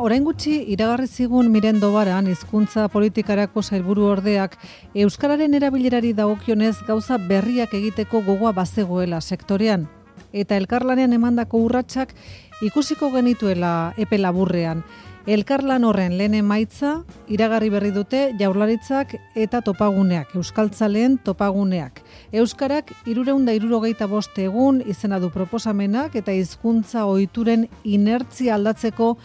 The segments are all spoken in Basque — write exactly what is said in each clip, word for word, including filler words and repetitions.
Orain gutxi iragarri zigun Miren Dobaran hizkuntza politikarako sailburu ordeak euskararen erabilerari dagokionez gauza berriak egiteko gogoa bazegoela sektorean eta elkarlanean emandako urratsak ikusiko genituela epe laburrean. Elkarlan horren lehen emaitza iragarri berri dute Jaurlaritzak eta topaguneak, euskaltzaleen topaguneak. Euskarak hirurehun eta hirurogeita bost egun izena du proposamenak eta hizkuntza ohituren inertzia aldatzeko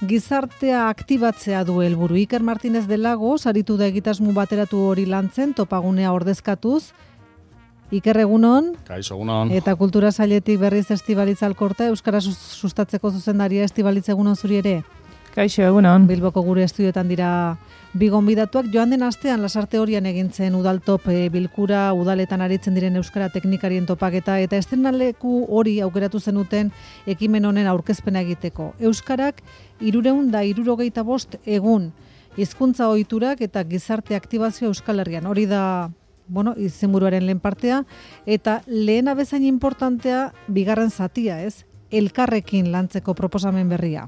gizartea aktibatzea du helburu. Iker Martínez de Lagos aritu da egitasmo bateratu hori lantzen topagunea ordezkatuz. Iker, egunon. Kaixo, egunon. Eta kultura sailetik berriz Estibalitz Alkorta, euskara sustatzeko zuzendaria. Estibalitz, egunon zuri ere. Kaixo, egunon. Bilboko gure estudioetan dira bi gonbidatuak. Joan den astean Lasarte Horian egintzen udaltop e, bilkura, udaletan aritzen diren euskara teknikarien topaketa eta estrenaleku hori aukeratu zenuten ekimen honen aurkezpena egiteko. Euskarak hirurehun eta hirurogeita bost egun hizkuntza ohiturak eta gizarte aktibazio Euskal Herrian. Hori da, bueno, izenburuaren lehen partea eta lehena bezain importantea bigarren zatia, ez? Elkarrekin lantzeko proposamen berria.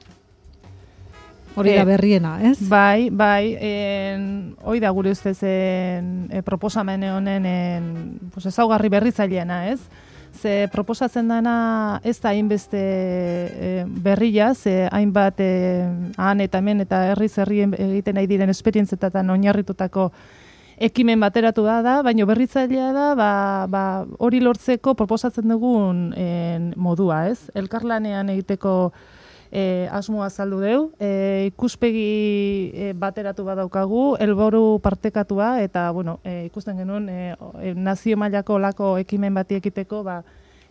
Hori da berriena, ez? Bai, bai, en, hoi da gure ustezen e, proposamen honen en, pues, ezaugarri berritzaileena, ez? Ze proposatzen dana ez da hainbeste e, berria, ze hainbat e, han eta hemen eta herriz herri egiten nahi diren esperientzetan oinarritutako ekimen bateratu da da, baina berritzailea da, ba, ba, hori lortzeko proposatzen dugun en, modua, ez? Elkarlanean egiteko E, asmoa azaldu deu, e, ikuspegi e, bateratu badaukagu, helburu partekatua eta bueno, e, ikusten genuen e, e, nazio mailako olako ekimen bati ekiteko ba,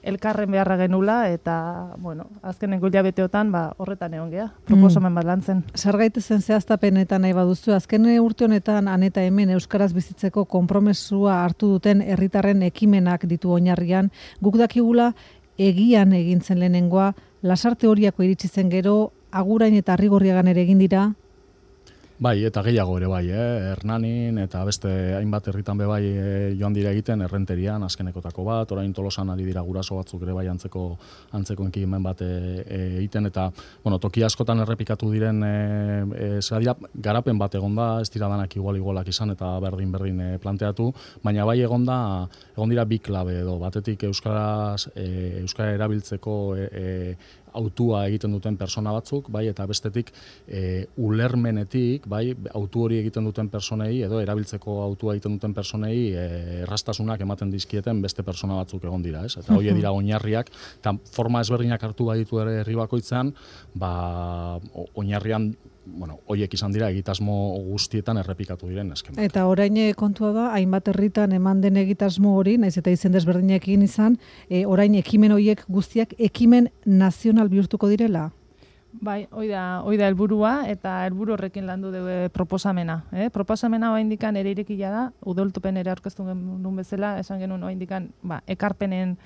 elkarren beharra genula eta bueno, azkenengo hilabeteotan ba, horretan egon gea, proposamen bat lantzen. Zer gaitezen zehaztapenetan nahi baduzu, azken urte honetan han eta hemen euskaraz bizitzeko konpromesua hartu duten herritarren ekimenak ditu oinarrian, guk dakigula egian egintzen lehenengoa, Lasarte Horiako iritsi zen gero, Agurain eta Arrigorriagan ere egin dira? Bai, eta gehiago ere bai, eh? Hernanin eta beste hainbat herritan be bai eh, joan dira egiten Errenterian azkenekotako bat, orain Tolosan ari dira guraso batzuk ere bai antzeko antzeko ekimen bat egiten e, eta bueno, toki askotan errepikatu diren e, e, dira, garapen bat egonda, ez dira danak igual igualak izan eta berdin berdin e, planteatu, baina bai egonda egon dira bi klabe edo batetik euskaraz e, euskara erabiltzeko e, e, autua egiten duten persona batzuk, bai, eta bestetik e, ulermenetik, bai, autu hori egiten duten personei edo erabiltzeko autua egiten duten personei e, errastasunak ematen dizkieten beste persona batzuk egon dira, ez? Eta hori dira oinarriak, eta forma ezberdinak hartu baditu ere herri bakoitzean, ba, oinarrian bueno, hoiek izan dira egitasmo guztietan errepikatu diren esken. Eta orain kontua da, hainbat herritan eman den egitasmo hori, naiz eta izen desberdinekin izan, e, orain ekimen horiek guztiak ekimen nazional bihurtuko direla? Bai, hoi da, hoi da helburua eta helburu horrekin landu dugu proposamena. Eh? Proposamena oraindikan ere irekia da, udoltupen ere aurkeztu genuen bezala, esan genuen oraindikan ba, ekarpenen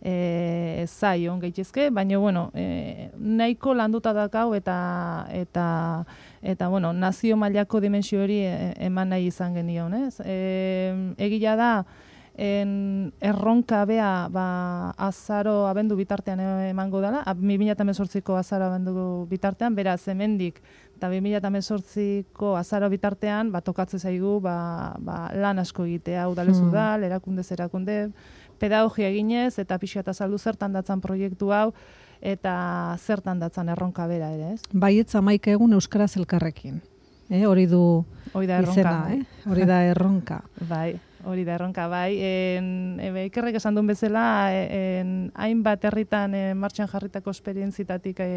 E, zai on gaitezke, baina bueno, e, nahiko landuta dakau eta eta eta bueno, nazio mailako dimensio hori e, eman nahi izan genion, ez? E, egia da en erronka bea ba azaro abendu bitartean emango dela, bi mila hemezortziko azaro abendu bitartean, beraz hemendik eta bi mila hemezortziko azaro bitartean ba tokatzen zaigu ba, ba lan asko egitea, udalez udal, erakundez erakunde, pedagogia eginez eta pixka eta saldu zertan datzan proiektu hau eta zertan datzan erronka bera ere, ez? Baietz hamaika egun euskaraz elkarrekin. Eh, hori du hori da erronka, izena, eh? Hori da erronka. Bai, hori da erronka, bai. En, ebe, Ikerrek esan duen bezala, en, hainbat herritan en, martxan jarritako esperientzitatik e,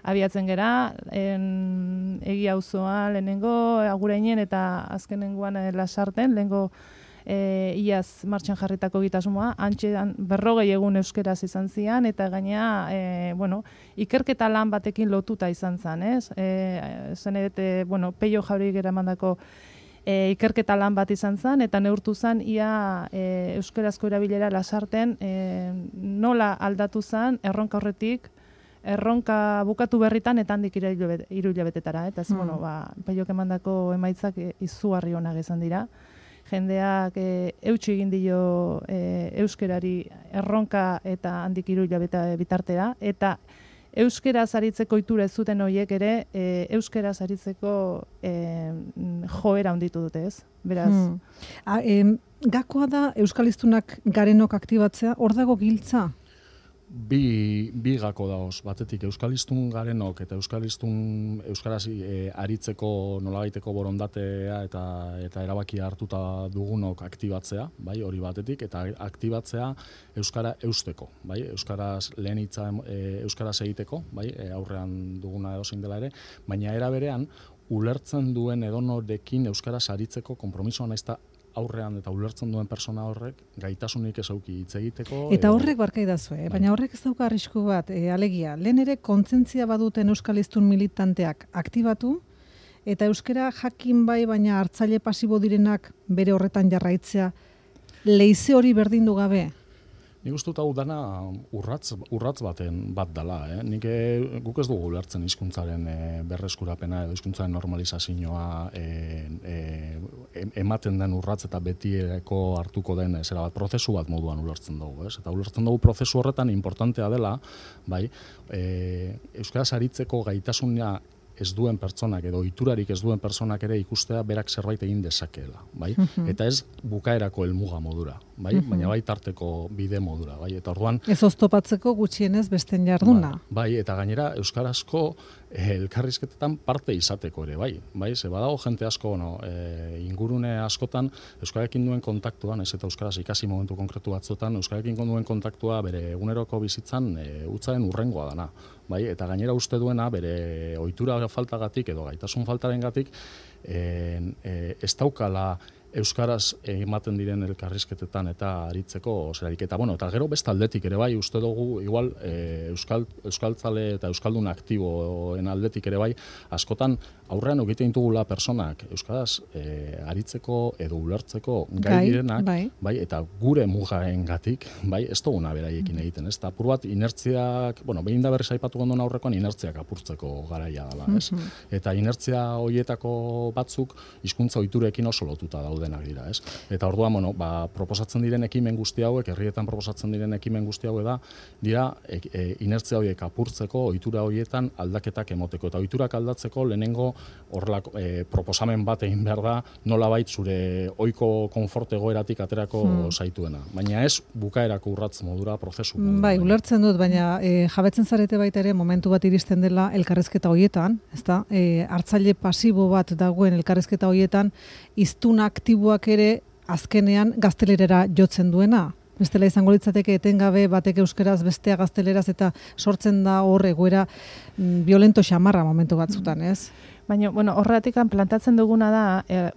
abiatzen gera, en, egia auzoa lehenengo, Agurainen eta azkenengoan e, Lasarten, lehenengo E, iaz martxan jarritako egitasmoa, antxe berrogei egun euskeraz izan zian, eta gainea, e, bueno, ikerketa lan batekin lotuta izan zen, ez? E, zen edete, bueno, Peio Jauregik eramandako e, ikerketa lan bat izan zen, eta neurtu zen ia e, euskerazko erabilera Lasarten e, nola aldatu zen erronka horretik, erronka bukatu berritan eta handik hiru hilabetetara, eta ez, hmm. bueno, ba, Peiok emandako emaitzak e, izugarri onak izan dira. Jendeak e, eutsi egin dio e, euskerari erronka eta handik hiru hilabete bitartera, eta Euskeraz aritzeko ohitura ez zuten horiek ere, e, euskeraz aritzeko e, joera handitu dute, ez? Beraz. Hmm. A, em, gakoa da euskaliztunak garenok aktibatzea, hor dago giltza? Bi, bi gako daoz, batetik euskaliztun garenok eta euskaliztun euskaraz e, aritzeko nolabaiteko borondatea eta eta erabakia hartuta dugunok aktibatzea, bai, hori batetik, eta aktibatzea euskara eusteko, bai, euskaraz lehen hitza e, euskaraz egiteko, bai, e, aurrean duguna edozein dela ere, baina era berean ulertzen duen edonorekin euskaraz aritzeko konpromisoa naizta aurrean eta ulertzen duen persona horrek gaitasunik ez auki hitz egiteko. Eta horrek barkaidazu, eh? Baina horrek ez dauka arrisku bat, e, alegia, lehen ere kontzientzia baduten euskaliztun militanteak aktibatu, eta euskara jakin bai, baina hartzaile pasibo direnak bere horretan jarraitzea, leize hori berdindu gabe? Nik uste dut hau dana urratz, urratz baten bat dela. Eh? Nik e, guk ez dugu ulertzen hizkuntzaren e, berreskurapena edo hizkuntzaren normalizazioa e, e, ematen den urratz eta betiereko hartuko den zera bat, prozesu bat moduan ulertzen dugu. Ez? Eta ulertzen dugu prozesu horretan importantea dela, bai, e, euskaraz aritzeko gaitasuna ez duen pertsonak edo ohiturarik ez duen pertsonak ere ikustea berak zerbait egin dezakeela, bai? Uh-huh. Eta ez bukaerako helmuga modura, bai? Uh-huh. Baina bai tarteko bide modura, bai? Eta orduan ez oztopatzeko gutxienez besten jarduna. Bai, bai, eta gainera euskarazko eh, elkarrizketetan parte izateko ere, bai? Bai, ze badago jente asko, no, eh, ingurune askotan euskararekin duen kontaktuan, ez eta euskaraz ikasi momentu konkretu batzuetan euskararekin duen kontaktua bere eguneroko bizitzan eh, utzaren urrengoa dana. Bai, eta gainera uste duena bere ohitura faltagatik edo gaitasun faltarengatik e, e, ez daukala euskaraz ematen diren elkarrizketetan eta aritzeko zerarik. Eta bueno, eta gero beste aldetik ere bai uste dugu igual e, euskal euskaltzale eta euskaldun aktiboen aldetik ere bai askotan aurrean egiten ditugula personak euskaraz e, aritzeko edo ulertzeko gai, gai direnak, bai. Bai, eta gure mugaengatik, bai, ez duguna beraiekin egiten, ez? Ta apur bat inertziak, bueno, behin da berriz aipatu gondon aurrekoan inertziak apurtzeko garaia dela, ez? Mm-hmm. Eta inertzia horietako batzuk hizkuntza ohiturekin oso lotuta daude denak dira, ez? Eta orduan, bueno, ba, proposatzen diren ekimen guzti hauek, herrietan proposatzen diren ekimen guzti hauek da, dira e, e, inertzia horiek apurtzeko, ohitura horietan aldaketak emoteko. Eta ohiturak aldatzeko lehenengo horrelako e, proposamen bat egin behar da, nolabait zure ohiko konfort egoeratik aterako hmm. zaituena. Baina ez bukaerako urratz modura, prozesu modura. Bai, ulertzen dut, baina e, jabetzen zarete baita ere momentu bat iristen dela elkarrizketa horietan, ezta? E, hartzaile pasibo bat dagoen elkarrizketa horietan, hiztun aktiboak ere azkenean gaztelerera jotzen duena. Bestela izango litzateke etengabe batek euskeraz bestea gazteleraz eta sortzen da hor egoera mm, violento xamarra momentu batzutan, ez? Baina, bueno, horretikan plantatzen duguna da, er,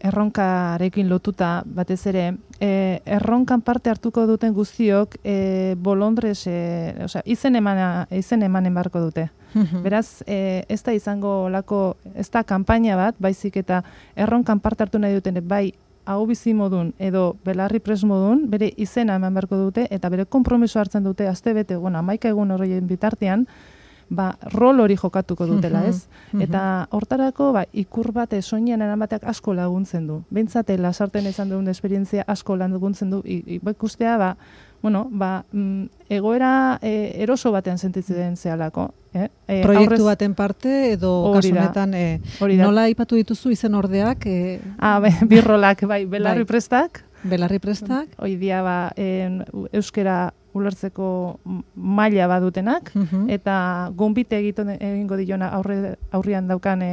erronkarekin lotuta batez ere, e, erronkan parte hartuko duten guztiok e, bolondrez, e, osea, izen emana, izen emanen barko dute. Beraz, e, ez da izango lako, ez da kanpaina bat, baizik eta erronkan parte hartu nahi duten, bai, hau bizi modun edo belarri pres modun, bere izena eman beharko dute, eta bere konpromiso hartzen dute, azte bete, bueno, amaika egun horreien bitartean, ba, rol hori jokatuko dutela, ez? Eta hortarako, ba, ikur bat soinean eramateak asko laguntzen du. Behintzate, lasarten izan duen esperientzia asko laguntzen du, ikustea, ba, bueno, ba, mm, egoera e, eroso batean sentitzen zehalako. Eh? E, Proiektu aurrez, baten parte edo kasunetan e, nola aipatu dituzu izen ordeak? E, ah, be, birrolak, bai, belarri bai. prestak. Belarri prestak. Hoi dia, ba, en, euskera ulertzeko maila badutenak, uh-huh. eta gonbite egiten egingo diona aurre, aurrian daukan e,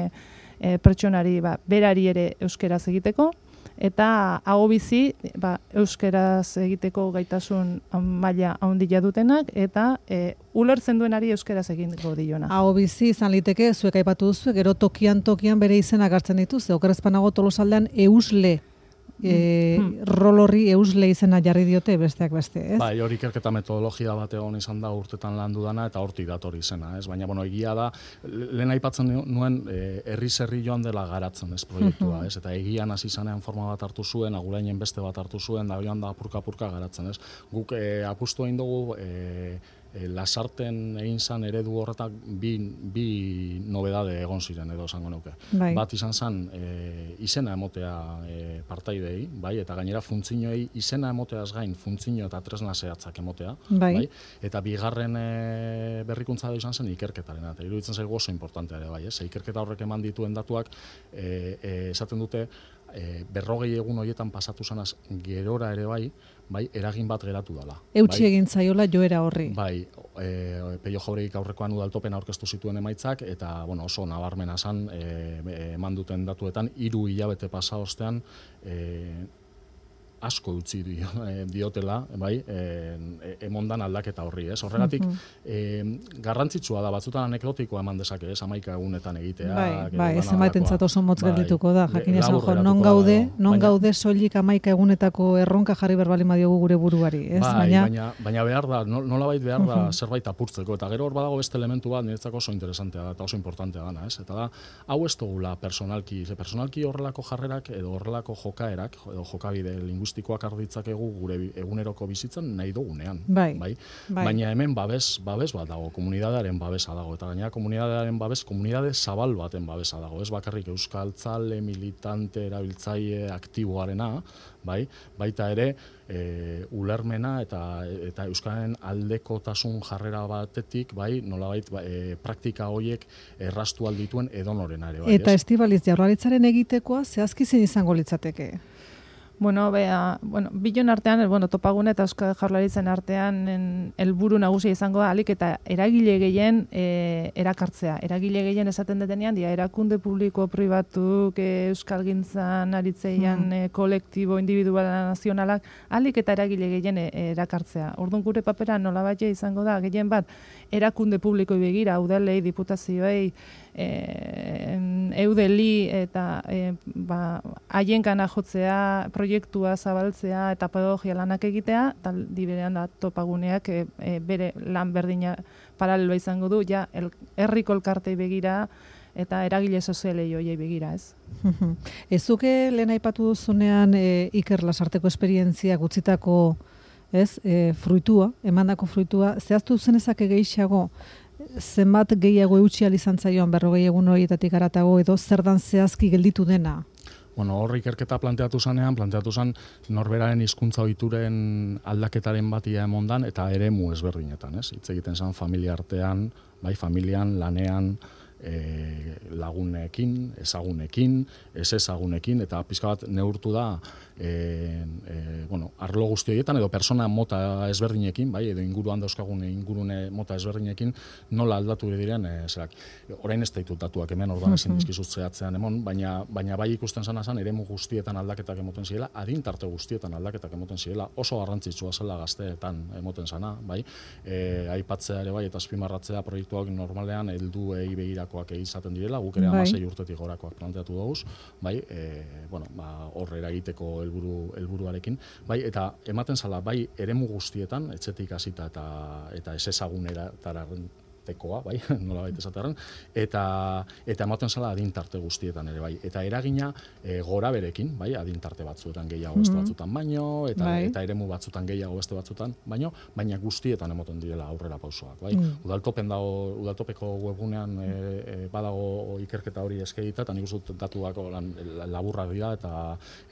e, pertsonari, ba, berari ere euskeraz egiteko, eta hau bizi ba, euskeraz egiteko gaitasun maila handia dutenak eta e, ulertzen duenari euskeraz egingo diona. Hau bizi izan liteke zuek aipatu duzu, gero tokian tokian bere izenak hartzen dituzte. Okerrezpanago Tolosaldean eusle E, hmm. rol horri eusle izena jarri diote besteak beste, ez? Bai, hori ikerketa metodologia bat egon izan da urtetan landu dana eta hortik dator izena, ez? Baina, bueno, egia da, lehen aipatzen nuen herriz herri joan dela garatzen, ez, proiektua, ez? Eta egian hasi zanean forma bat hartu zuen, agurainen beste bat hartu zuen, da joan da apurka-apurka garatzen, ez? Guk e, apustu egin dugu e, e, lasarten egin zan eredu horretak bi, bi nobedade egon ziren edo esango nuke. Bai. Bat izan zen e, izena emotea e, partaidei, bai, eta gainera funtzioei izena emoteaz gain funtzio eta tresna zehatzak emotea, bai. bai, eta bigarren e, berrikuntza da izan zen ikerketarena, eta iruditzen zaigu oso importantea ere, bai, ez? Ikerketa horrek eman dituen datuak e, e, esaten dute e, berrogei egun horietan pasatu zanaz gerora ere bai, bai, eragin bat geratu dela. Eutsi bai? egin zaiola joera horri. Bai, e, Peio Jauregik aurrekoan udaltopen aurkeztu zituen emaitzak, eta bueno, oso nabarmena zan, e, eman duten datuetan, hiru hilabete pasa ostean, e, asko utzi dio, e, diotela, bai, e, emondan aldaketa horri, ez? Horregatik, uh -huh. e, garrantzitsua da, batzutan anekdotikoa eman dezake, ez? Hamaika egunetan egitea. Bai, bai, ez emaitentzat oso motz geldituko da, jakin esan jo, non gaude, dago, non baina, gaude soilik hamaika egunetako erronka jarri berbali madiogu gure buruari, ez? Bai, baina, baina, baina behar da, nolabait behar da uh -huh. zerbait apurtzeko, eta gero hor badago beste elementu bat, niretzako oso interesantea da, eta oso importantea dana, ez? Eta da, hau ez dugula personalki, ze personalki horrelako jarrerak, edo horrelako jokaerak, edo jokabide linguistikoak arditzake gure eguneroko bizitzan nahi dugunean, bai, bai? bai. Baina hemen babes, babes bat dago, komunidadearen babesa dago, eta gainera komunidadearen babes, komunidade zabal baten babesa dago, ez bakarrik euskaltzale, militante, erabiltzaile, aktiboarena, bai? Baita ere, e, ulermena eta eta euskararen aldekotasun jarrera batetik, bai, nolabait e, praktika horiek erraztu aldituen edonorena ere, bai, eta Estibaliz, Jaurlaritzaren egitekoa zehazki zein izango litzateke? Bueno, bea, bueno, bilon artean, bueno, Topagune eta Euskal Jaurlaritzaren artean helburu nagusia izango da, alik eta eragile gehien e, erakartzea. Eragile gehien esaten detenean, dia, erakunde publiko pribatuk, e, euskalgintzan aritzeian, mm. e, kolektibo, individuala, nazionalak, alik eta eragile gehien e, erakartzea. Orduan gure papera nolabait izango da, gehien bat, erakunde publikoi begira, udalei, diputazioei, e, eudeli eta e, ba, haienkana jotzea, proiektua zabaltzea eta pedagogia lanak egitea, tal diberean da Topaguneak e, e, bere lan berdina paraleloa izango du, ja el, herriko elkartei begira eta eragile sozialei hoiei begira, ez? Ezuke lehen aipatu duzunean e, Iker Lasarteko esperientzia gutzitako, ez, e, fruitua, emandako fruitua, zehaztu zenezake gehiago, zenbat gehiago eutsi izan zaioan berrogei egun horietatik haratago edo zer dan zehazki gelditu dena? Bueno, hor ikerketa planteatu zanean, planteatu zan norberaren hizkuntza ohituren aldaketaren batia emondan eta eremu ezberdinetan, ez? Hitz egiten zan familia artean, bai, familian, lanean, e, lagunekin, ezagunekin, ez ezagunekin, eta pizka bat neurtu da e, e, bueno, arlo guzti horietan edo persona mota ezberdinekin, bai, edo inguruan dauzkagun ingurune mota ezberdinekin, nola aldatu diren, e, zerak. Orain ez ditut datuak hemen, orduan ezin dizkizut zehatzean emon, baina, baina bai ikusten zana zan, eremu guztietan aldaketak emoten zirela, adintarte guztietan aldaketak emoten zirela, oso garrantzitsua zela gazteetan emoten zana, bai, e, aipatzea ere bai, eta azpimarratzea proiektuak normalean helduei begirakoak izaten direla, guk ere hamasei urtetik gorakoak planteatu dugu, bai, e, bueno, ba, horre eragiteko helburu helburuarekin, bai, eta ematen zala, bai, eremu guztietan, etxetik hasita eta eta ez ezaguneratara tekoa, bai, nolabait esatearren, eta eta ematen zala adintarte guztietan ere, bai, eta eragina e, gora berekin, bai, adintarte batzuetan gehiago beste batzutan baino, eta bai. Eta eremu batzutan gehiago beste batzutan baino, baina guztietan emoten direla aurrera pausoak, bai. Mm. Udaltopen dago, udaltopeko webgunean e, e, badago ikerketa hori eskegita, eta nik uste dut datuak laburrak dira, eta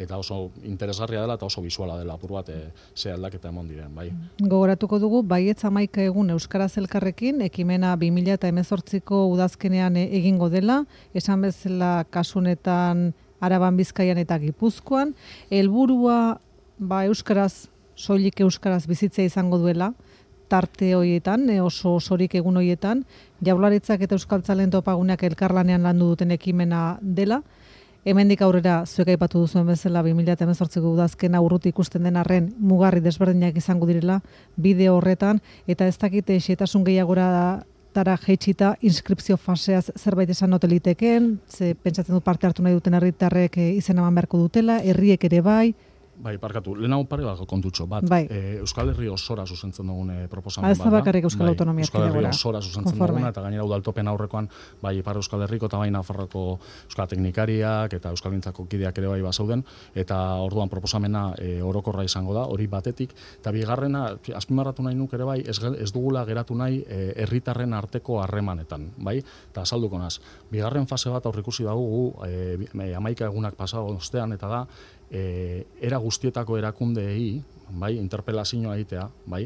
eta oso interesgarria dela, eta oso bisuala dela apur bat e, ze aldaketa emon diren, bai. Gogoratuko dugu, baietz hamaika egun Euskaraz elkarrekin, ekimen bi mila hemezortziko udazkenean egingo dela, esan bezala kasunetan Araban, Bizkaian eta Gipuzkoan, helburua ba euskaraz, soilik euskaraz bizitzea izango duela, tarte horietan, oso osorik egun horietan, Jaurlaritzak eta Euskaltzaleen Topaguneak elkarlanean landu duten ekimena dela. Hemendik aurrera zuek aipatu duzuen bezala bi mila hemezortziko udazkena urruti ikusten den arren mugarri desberdinak izango direla bideo horretan, eta ez dakite xehetasun gehiagora tara jeitsita inskripzio faseaz zerbait esan ote liteken, ze pentsatzen du parte hartu nahi duten herritarrek izena eman beharko dutela, herriek ere bai. Bai, parkatu, lehenago pare bat kontutxo, bat, bai. e, Euskal Herri osora zuzentzen dugun e, proposamen bat da. Ez da bakarrik bai, Euskal Autonomia Euskal Herri Erkidegora. osora zuzentzen duguna, eta gainera udaltopen aurrekoan, bai Ipar Euskal Herriko eta bai Nafarroko Euskal Teknikariak eta Euskalgintzako kideak ere bai bazauden, eta orduan proposamena e, orokorra izango da, hori batetik, eta bigarrena, azpimarratu nahi nuk ere bai, ez, ez dugula geratu nahi e, herritarren arteko harremanetan, bai, eta azalduko naz. Bigarren fase bat aurrikusi dugu, e, hamaika egunak pasado ostean, eta da, E, era guztietako erakundeei, bai, interpelazioa egitea, bai,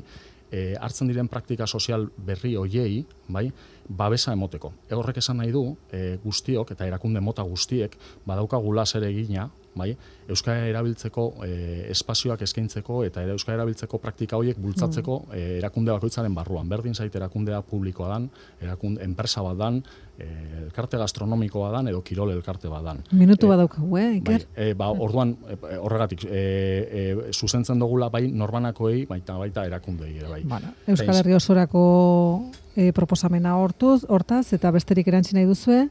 e, hartzen diren praktika sozial berri hoiei, bai, babesa emoteko. Horrek esan nahi du, e, guztiok eta erakunde mota guztiek badaukagula zer egina, bai, euskara erabiltzeko e, espazioak eskaintzeko eta euskara erabiltzeko praktika horiek bultzatzeko mm. e, erakunde bakoitzaren barruan. Berdin zait erakundea publikoa dan, erakunde enpresa bat dan, e, elkarte gastronomikoa dan edo kirol elkarte bat dan. Minutu bat daukagu, eh, Iker? Bai, e, ba, orduan e, horregatik e, e, zuzentzen dugula bai norbanakoei, baita baita erakundeei ere bai. Bueno, Euskal Herri osorako e, proposamena hortuz, hortaz eta besterik erantzi nahi duzue?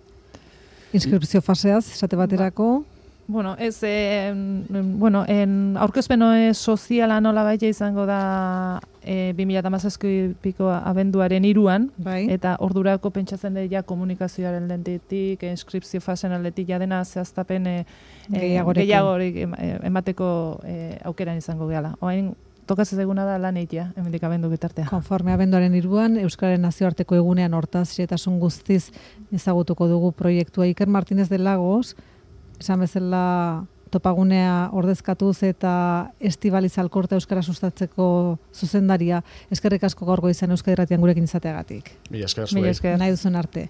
Inskripzio faseaz, esate baterako? Bueno, ez, eh, bueno, en aurkezpeno soziala nola baita izango da eh, bi mila hamazazpiko abenduaren hiruan, bai. Eta ordurako pentsatzen dut ja komunikazioaren lentetik, inskripzio fasen aldetik ja dena zehaztapen eh, gehiagorik emateko eh, aukeran izango gehala. Oain, tokatzen eguna da lan eitea, hemendik abendu bitartea. Konforme abenduaren hiruan, Euskararen nazioarteko egunean hortaz xehetasun guztiz ezagutuko dugu proiektua. Iker Martínez de Lagos, esan bezala topagunea ordezkatuz eta Estibaliz Alkorta euskara sustatzeko zuzendaria, eskerrik asko gaurgo izan Euskadi Irratian gurekin izateagatik. Mila esker Mila esker. Nahi duzun arte.